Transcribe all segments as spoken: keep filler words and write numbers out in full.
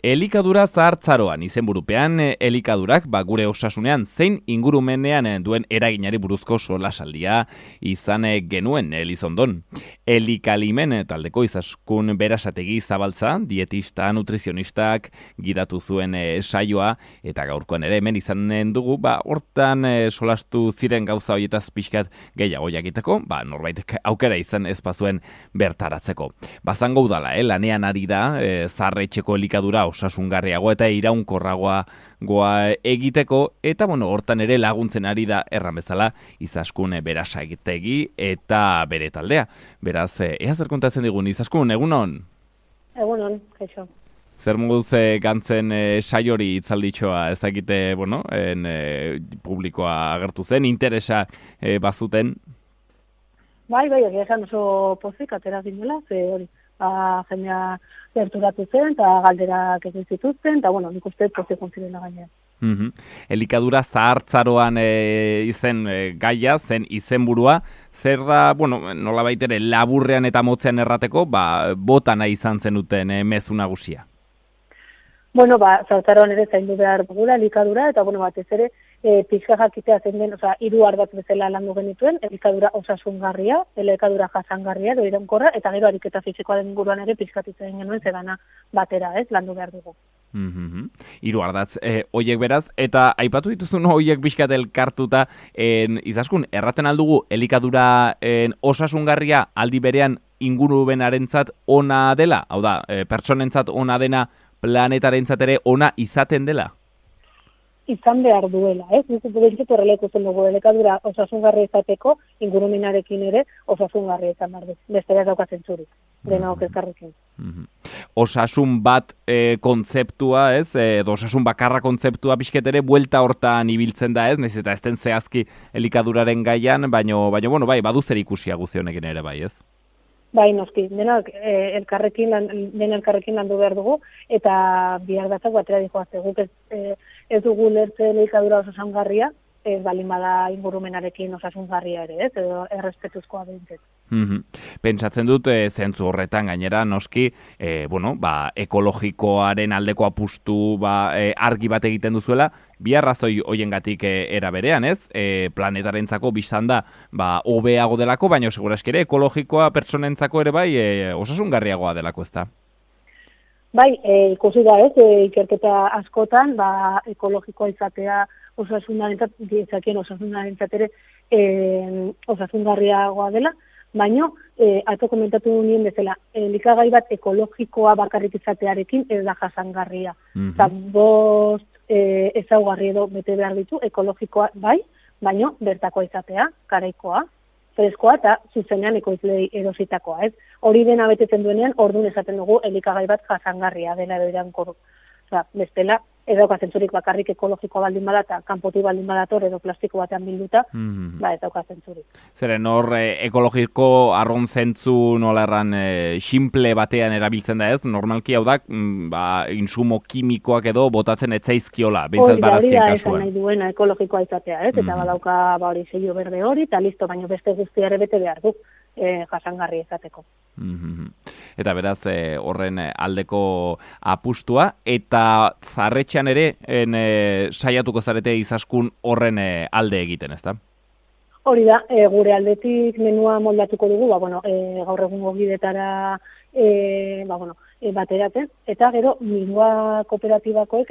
Elikadura zahartzaroan izenburupean elikadurak ba, gure osasunean zein ingurumenean duen eraginari buruzko solasaldia izan genuen Elizondon. Elikalimen taldeko izaskun berasategi zabaltza, dietista, nutrizionistak gidatu zuen e, saioa eta gaurkoan ere hemen izanen dugu, ba, hortan e, solastu ziren gauza horietaz pixkat gehiago jakiteko, ba, norbaitek aukera izan ezpazuen bertaratzeko. Bazango udala, eh, lanean ari da, e, zarretxeko elikadura osasungarriagoa eta iraunkorragoa goa egiteko, eta bueno, hortan ere laguntzen ari da erran bezala Izaskun berasa egitegi eta bere taldea. Beraz, ea zer kontatzen digun Izaskun, egunon? Egunon, kaixo. Zer moduz e, gantzen e, saiori itzalditxoa, ez dakite, bueno, en, e, publikoa agertu zen, interesa e, bazuten? Bai, bai, egia esan oso pozik, atera zinela, ze hori, ba, jendea gerturatu zen, eta galderak egin zituzten, eta, bueno, nik uste pozik ontzirela gainean. Mm-hmm. Elikadura zahartzaroan e, izen e, gaia, zen izenburua, zer da, bueno, nola baitere, laburrean eta motzean errateko, ba, bota nahi izan zenuten e, mezu nagusia? Bueno, ba, zahartzaroan ere zaindu behar dugula, elikadura, eta, bueno, batez ere, e, pixka jakitea zen den, oza, hiru ardatz bezala landu genituen, elikadura osasungarria, elikadura jasangarria, edo iraunkorra, eta gero ariketa fisikoa den inguruan ere pixkatitzen genuen zedana batera, ez, landu behar dugu. Mm-hmm. Hiru ardatz, e, oiek beraz, eta aipatu dituzun oiek pixkat elkartuta, en, Izaskun, erraten aldugu elikadura en, osasungarria aldi berean ingurumenarentzat ona dela, hau da, e, pertsonentzat ona dena, planetarentzat ere ona izaten dela? Izan behar duela, ez? Nik bentsut horrela ikusten dugu, elikadura osasungarria izateko, ingurumenarekin ere osasungarria izan behar du. Bestera ez daukatzen zurik, denok elkarrekin. Mm-hmm. Osasun bat e, kontzeptua, ez? E, osasun bakarra kontzeptua pixket ere buelta hortan ibiltzen da, ez? Naiz eta ez den zehazki elikaduraren gaian, baino, baino, bueno, bai, badu zer ikusia guzionekin ere, bai, ez? Bai, noski, denak e, elkarrekin, den elkarrekin landu behar dugu, eta bihar batzak batera dihoazte guk ez, e, ez dugu lertze elikadura osasungarria, ez balin bada ingurumenarekin osasungarria ere, ez, edo errespetuzkoa behintzet. Mm-hmm. Pentsatzen dut, e, zentzu horretan gainera, noski, e, bueno, ba, ekologikoaren aldeko apustu ba, e, argi bat egiten duzuela, bi arrazoi hoiengatik e, era berean, ez? E, planetarentzako biztan da, ba, hobeago delako, baina seguraski ere ekologikoa pertsonentzako ere bai, e, osasungarriagoa delako, ez da? Bai, e, ikusi da ez, e, ikerketa askotan, ba, ekologikoa izatea osasunarentzat, diezakien osasunarentzat ere e, osasungarriagoa dela, baina, e, atzo komentatu nien bezala, elikagai bat ekologikoa bakarrik izatearekin ez da jasangarria. Mm-hmm. Eta bost e, ezaugarri edo bete behar ditu, ekologikoa bai, baina bertakoa izatea, garaikoa, freskoa eta zuzenean ekoizlei erositakoa, ez? Hori dena betetzen duenean, orduan esaten dugu elikagai bat jasangarria dela edo iraunkorra. Osea, bestela, ez daukatzen zurik bakarrik ekologikoa baldin bada eta kanpotik baldin badator edo plastiko batean bilduta, mm-hmm. ba ez daukatzen zurik. Zeren hor e, ekologiko arron zentzu nola erran e, simple batean erabiltzen da ez, normalki hau da, mm, ba, insumo kimikoak edo botatzen etzaizkiola, bintzat barazkien kasuan. Hori da, esan nahi duena ekologikoa izatea, ez? Mm-hmm. Eta badauka ba, hori sello berde hori, eta listo, baina beste guztiare bete behar du. E, jasangarri izateko. Mm-hmm. Eta beraz e, horren aldeko apustua, eta zarretxean ere en, e, saiatuko zarete Izaskun horren e, alde egiten, ezta? Hori da, e, gure aldetik menua moldatuko dugu, ba, bueno, e, gaur egungo bidetara e, ba, bueno, e, bateratzen, eta gero Mingoa kooperatibakoek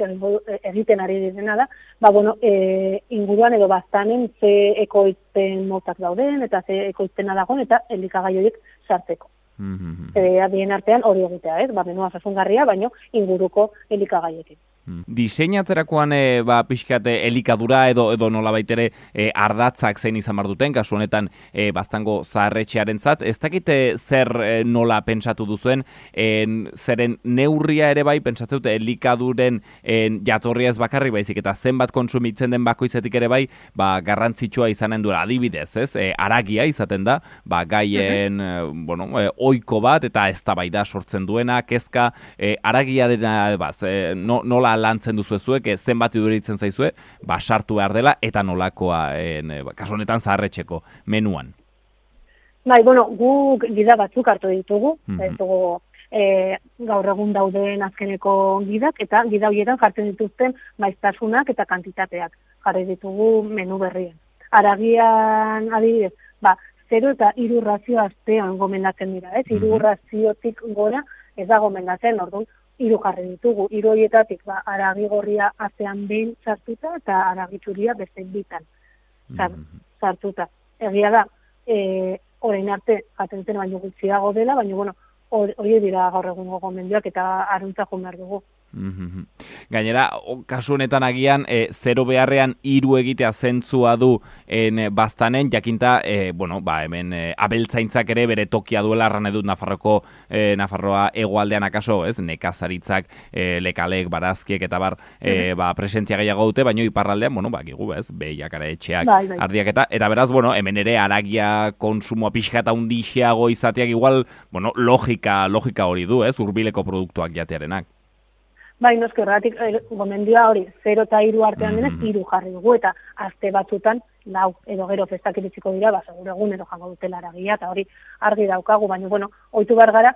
egiten ari direna da, ba, bueno, e, inguruan edo baztanen ze ekoizpen motak dauden, eta ze ekoizpena dagoen, eta elikagai horiek sartzeko. Mm-hmm. E, bien artean hori egitea, ez? Ba, menua osasungarria, baino inguruko elikagaiekin. Diseinatzerakoan e, ba, pixkat elikadura edo edo nola baitere e, ardatzak zein izan behar duten, kasu honetan e, baztango zaharretxearentzat, ez dakite zer e, nola pentsatu duzuen, en, zeren neurria ere bai, pentsatzen dute elikaduren en, jatorria ez bakarrik baizik, eta zenbat kontsumitzen den bakoitzetik ere bai, ba, garrantzitsua izanen duela adibidez, ez? E, aragia izaten da, ba, gaien uh-huh. e, bueno, e, oiko bat, eta eztabaida sortzen duena, kezka, e, aragia dena, baz, e, no, nola lantzen duzu zuek, zenbat iduritzen zaizue, ba, sartu behar dela, eta nolakoa, en, kasu honetan zaharretxeko menuan. Bai, bueno, guk gida batzuk hartu ditugu, mm-hmm. ez dugu e, gaur egun dauden azkeneko gidak, eta gida horietan jartzen dituzten maiztasunak eta kantitateak jarri ditugu menu berrien. Aragian adibidez, ba, zero eta hiru razio astean gomendatzen dira, ez? Hiru Mhm. raziotik gora ez da gomendatzen, orduan, hiru jarri ditugu. Hiru horietatik, ba, aragi gorria astean behin sartuta eta aragi txuria beste bitan Mhm. sartuta. Egia da, e, orain arte jaten zen baino gutxiago dela, baina bueno, hori dira gaur egungo gomendioak eta aruntza joan behar dugu. Mhm. Gainera, o, kasu honetan agian, e, zero beharrean hiru egitea zentzua du en, e, baztanen, jakinta, e, bueno, ba, hemen e, abeltzaintzak ere bere tokia duela, arran edut Nafarroko, e, Nafarroa hegoaldean akaso, ez, nekazaritzak, e, lekalek, barazkiek eta bar, e, ba, presentzia gehiago dute, baina iparraldean, bueno, ba, gigu, ez, behiak, ara etxeak, Bai, bai. ardiak eta, eta beraz, bueno, hemen ere aragia konsumoa pixka eta undixeago izateak igual, bueno, logika, logika hori du, ez, hurbileko produktuak jatearenak. Bai, noski, horregatik eh, gomendioa hori, zero eta hiru artean denez, Mhm. hiru jarri dugu, eta aste batzutan, lau, edo gero festak iritsiko dira, ba, segur egunero jango dutela aragia, eta hori argi daukagu, baina, bueno, ohitu behar gara,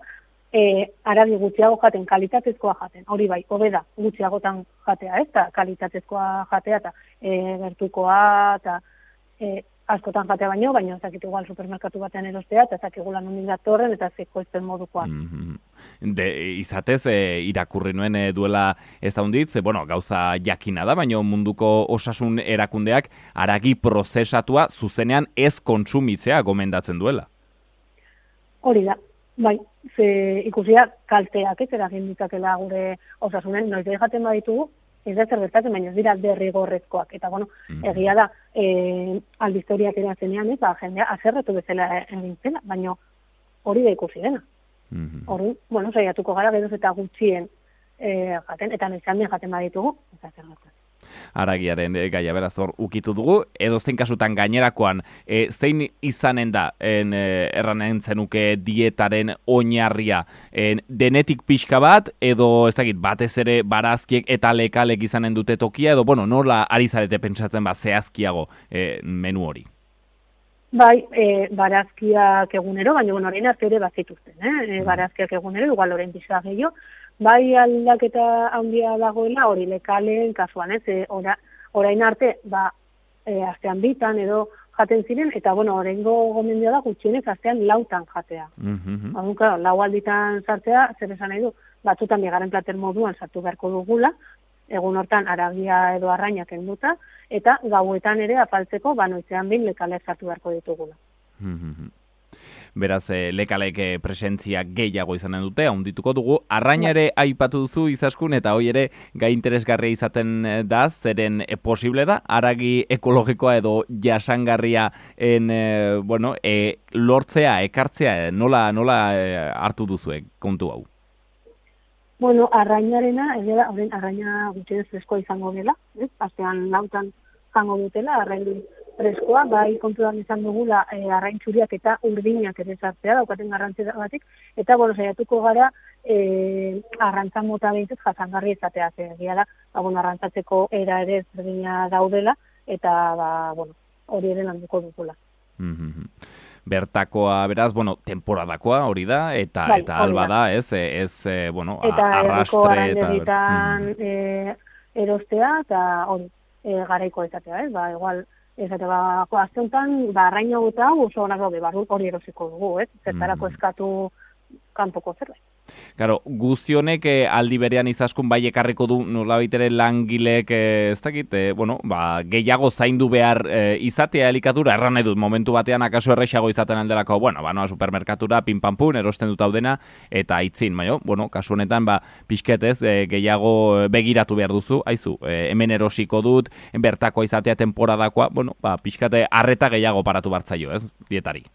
e, aragi gutxiago jaten, kalitatezkoa jaten, hori bai, hobe da, gutxiagotan jatea, ez, eta kalitatezkoa jatea, eta e, gertukoa, eta e, askotan jatea baino, baina ez dakit igual supermerkatu batean erostea, eta ez dakigula nondik datorren, eta zekoizten modukoa. Mhm. De, izatez, e, irakurri nuen e, duela ez daunditz, e, bueno, gauza jakina da, baina munduko osasun erakundeak aragi prozesatua zuzenean ez kontsumitzea gomendatzen duela. Hori da, bai, ze ikusia kalteak ez eragin ditzakela gure osasunen, noiz da jaten baditugu, ez da zer gertatzen, baina ez dira derrigorrezkoak. Eta, bueno, Mhm. egia da, e, albistoriak erazenean, ez, ba, jendea azerretu bezala egin zela, baina hori da ikusi dena. Mhm. Hori, bueno, saiatuko gara geroz eta gutxien e, jaten, eta noiz handian jaten baditugu, ez da zer gertatzen. Aragiaren e, gaia beraz hor ukitu dugu, edo zein kasutan gainerakoan, e, zein izanen da, en, e, erranen zenuke dietaren oinarria, en, denetik pixka bat, edo ez dakit, batez ere barazkiek eta lekalek izanen dute tokia, edo, bueno, nola ari zarete pentsatzen ba zehazkiago e, menu hori? Bai, e, barazkiak egunero, baina bueno, orain arte ere bazituzten, eh? E, barazkiak egunero, igual orain pixka gehiago, bai aldaketa handia dagoela hori lekalen kasuan, ez? E, ora, orain arte, ba, e, astean bitan edo jaten ziren, eta bueno, oraingo gomendioa da gutxienez astean lautan jatea. Mhm. Orduan, claro, lau alditan sartzea, zer esan nahi du, batzutan bigarren plater moduan sartu beharko dugula, egun hortan aragia edo arrainak kenduta, eta gauetan ere afaltzeko, ba, noizean behin lekalek sartu beharko ditugula. Mhm. Beraz, e, lekalek e, presentzia gehiago izanen dute, handituko dugu. Arraina ere aipatu duzu izaskun, eta hoi ere gai interesgarria izaten e, da, zeren e, posible da, aragi ekologikoa edo jasangarria en, e, bueno, e, lortzea, ekartzea, e, nola, nola e, hartu duzuek kontu hau? Bueno, arrainarena, egia da, horren arraina gutxienez freskoa izango dela, ez? Astean lautan jango dutela, arrain freskoa, bai kontuan izan dugula e, arrain txuriak eta urdinak ere sartzea daukaten garrantzagatik, eta bueno, saiatuko gara e, arrantza mota behintzat jasangarri izatea, ze egia da, ba, bueno, arrantzatzeko era ere ezberdina daudela, eta ba, bueno, hori ere landuko dugula. Mhm. Bertakoa, beraz, bueno, temporadakoa hori da, eta Bai, eta hori alba da. da, ez, e, ez e, bueno, a- Eta herriko arrastre, eta... arrandegitan Mhm. e, erostea, eta hori, e, garaiko izatea, ez? Ba, igual, esate, ba, jo, azte honetan, ba, arraina eta hau oso onak daude, barru hori erosiko dugu, ez? Zertarako Mhm. eskatu kanpoko zerbait. Claro, guztionek eh, aldi berean izaskun bai ekarriko du nolabait ere langilek, eh, ez dakit, eh, bueno, ba, gehiago zaindu behar eh, izatea elikadura, erran nahi dut, momentu batean akaso errexago izaten aldelako, bueno, ba, noa supermerkatura, pinpampun, erosten dut daudena, eta itzin, baina, bueno, kasu honetan, ba, pixketez, eh, gehiago begiratu behar duzu, haizu, eh, hemen erosiko dut, bertako izatea temporadakoa, bueno, ba, pixkate arreta gehiago paratu bartzaio, ez, dietari.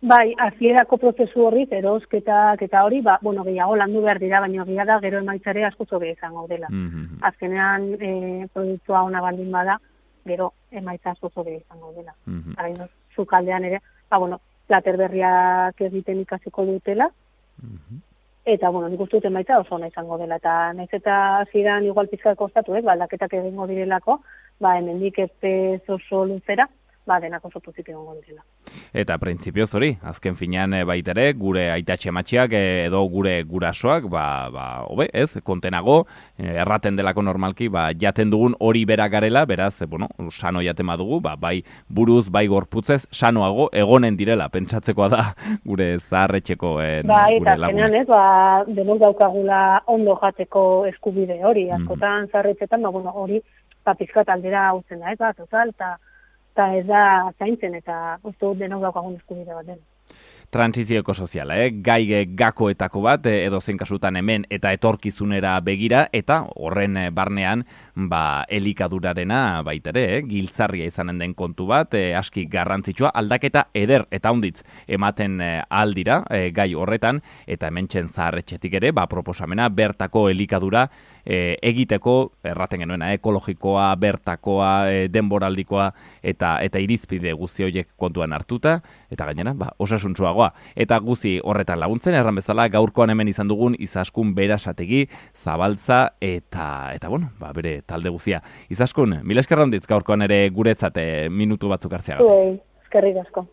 Bai, hasierako prozesu horri, erosketak eta hori, ba, bueno, gehiago landu behar dira, baina egia da gero emaitzare asko zobe izango dela. Mm-hmm. Azkenean, e, produktua ona baldin bada, gero emaitza asko zobe izango dela. Mm-hmm. Araino, zukaldean ere, ba, bueno, plater berriak egiten ikasiko dutela, Mm-hmm. eta, bueno, nik uste dut emaitza oso ona izango dela, eta nahiz eta zidan igual pizkak kostatu, eh, ba, aldaketak egingo direlako, ba, hemendik ez oso luzera, ba, denak oso positibo egongo direla. Eta printzipioz hori, azken finean baitere, gure aitatxe matxiak edo gure gurasoak, ba, ba, hobe, ez, kontenago, erraten delako normalki, ba, jaten dugun hori bera garela, beraz, bueno, sano jaten badugu, ba, bai buruz, bai gorputzez, sanoago egonen direla, pentsatzekoa da gure zaharretxeko eh, bai, gure eta lagunak. ez, ba, denok daukagula ondo jateko eskubide hori, askotan mm. zaharretxetan, ba, bueno, hori, ba, pizkat aldera hau zen da, ez, ba, total, eta eta ez da zaintzen, eta uste dut denok daukagun eskubide bat den. Transizioko soziala, eh? gai gakoetako bat, edo zein kasutan hemen eta etorkizunera begira, eta horren barnean ba, elikadurarena baitere, eh? giltzarria izanen den kontu bat, eh, aski garrantzitsua, aldaketa eder eta honditz ematen eh, aldira eh, gai horretan, eta hementxen zaharretxetik ere, ba, proposamena bertako elikadura eh, egiteko, erraten genuena, ekologikoa, bertakoa, eh, denboraldikoa, eta eta irizpide guzti horiek kontuan hartuta, eta gainera, ba, osasuntsuagoa. Eta guzi horretan laguntzen, erran bezala, gaurkoan hemen izan dugun Izaskun Berasategi, Zabaltza, eta, eta bueno, ba, bere talde guzia. Izaskun, mila esker handitz gaurkoan ere guretzat minutu batzuk hartzeagatik. Eskerrik asko.